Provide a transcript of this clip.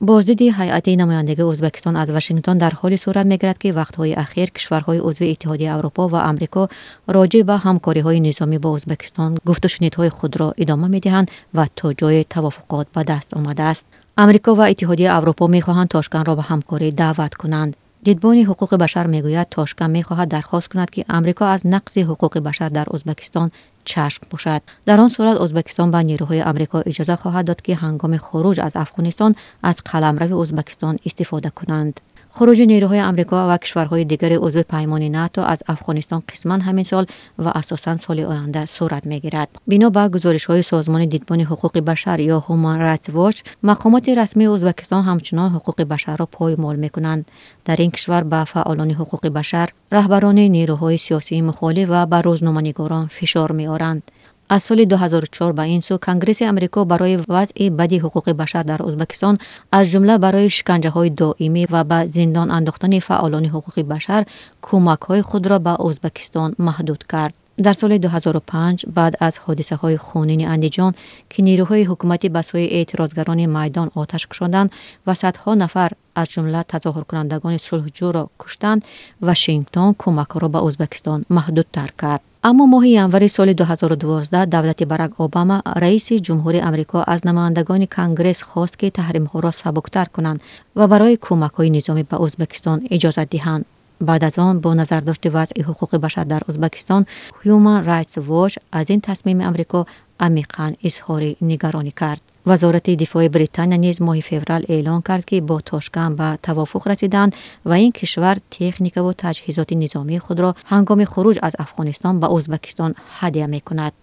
Боздиди ҳайати намояндагии Ӯзбекистон аз Вашингтон дар ҳоле сурат мегирад, ки вақтҳои ахир кишварҳои узви Иттиҳодияи Аврупо ва Амрико роҷеъ ба ҳамкориҳои низомӣ бо Ӯзбекистон гуфтушунидҳои худро идома медиҳанд ва то ҷое тавофуқот ба даст омадааст. Амрико ва Иттиҳодияи Аврупо мехоҳанд Тошкандро ба ҳамкорӣ даъват кунанд. Дидбони ҳуқуқи башар мегӯяд, Тошканд мехоҳад дархост кунад, ки Амрико аз нақзи ҳуқуқи башар дар Ӯзбекистон чашм пӯшад. Дар он сурат Ӯзбекистон ба нерӯҳои Амрико иҷоза хоҳад дод, ки ҳангоми хуруҷ аз Афғонистон аз қаламрави Ӯзбекистон истифода кунанд. Хуруҷи нерӯҳои Амрико ва кишварҳои дигари узви паймони НАТО аз Афғонистон қисман ҳамин сол ва асосан соли оянда сурат мегирад. Бино ба гузоришҳои созмони Дидбони ҳуқуқи башар ё Human Rights Watch, мақомоти расмии Ӯзбекистон ҳамчунон ҳуқуқи башарро поймол мекунанд. Дар ин кишвар ба фаъолони ҳуқуқи башар, раҳбарони нерӯҳои сиёсии мухолиф ва ба рӯзноманигорон фишор меоранд. Аз соли 2004 ба ин сӯ Конгресси Амрико барои вазъи бади ҳуқуқи башар дар Ӯзбекистон, аз ҷумла барои шиканҷаҳои доимӣ ва ба зиндон андохтани фаъолони ҳуқуқи башар, кӯмакҳои худро ба Ӯзбекистон маҳдуд кард. Дар соли 2005, баъд аз ҳодисаҳои хунини Андиҷон, ки нерӯҳои ҳукуматӣ ба сӯи эътирозгарони майдон оташ кушоданд ва садҳо нафар, аз ҷумла тазоҳуркунандагони сулҳҷӯро куштанд, Вашингтон кӯмакҳоро ба Ӯзбекистон маҳдудтар кард. Аммо моҳи январи соли 2012 давлати Барак Обама, раиси ҷумҳури Амрико, аз намояндагони Конгресс хост, ки таҳримҳоро сабуктар кунанд ва барои кӯмакҳои низомӣ ба Ӯзбекистон иҷозат диҳанд. Баъд аз он, бо назардошти вазъи ҳуқуқи башар дар Ӯзбекистон, Human Rights Watch аз ин тасмими Амрико амиқан изҳори нигаронӣ кард. Вазорати дифои Британия низ моҳи феврал эълон кард, ки бо Тошканд ба тавофуқ расиданд ва ин кишвар техникаву таҷҳизоти низомии худро ҳангоми хуруҷ аз Афғонистон ба Ӯзбекистон ҳадя мекунад.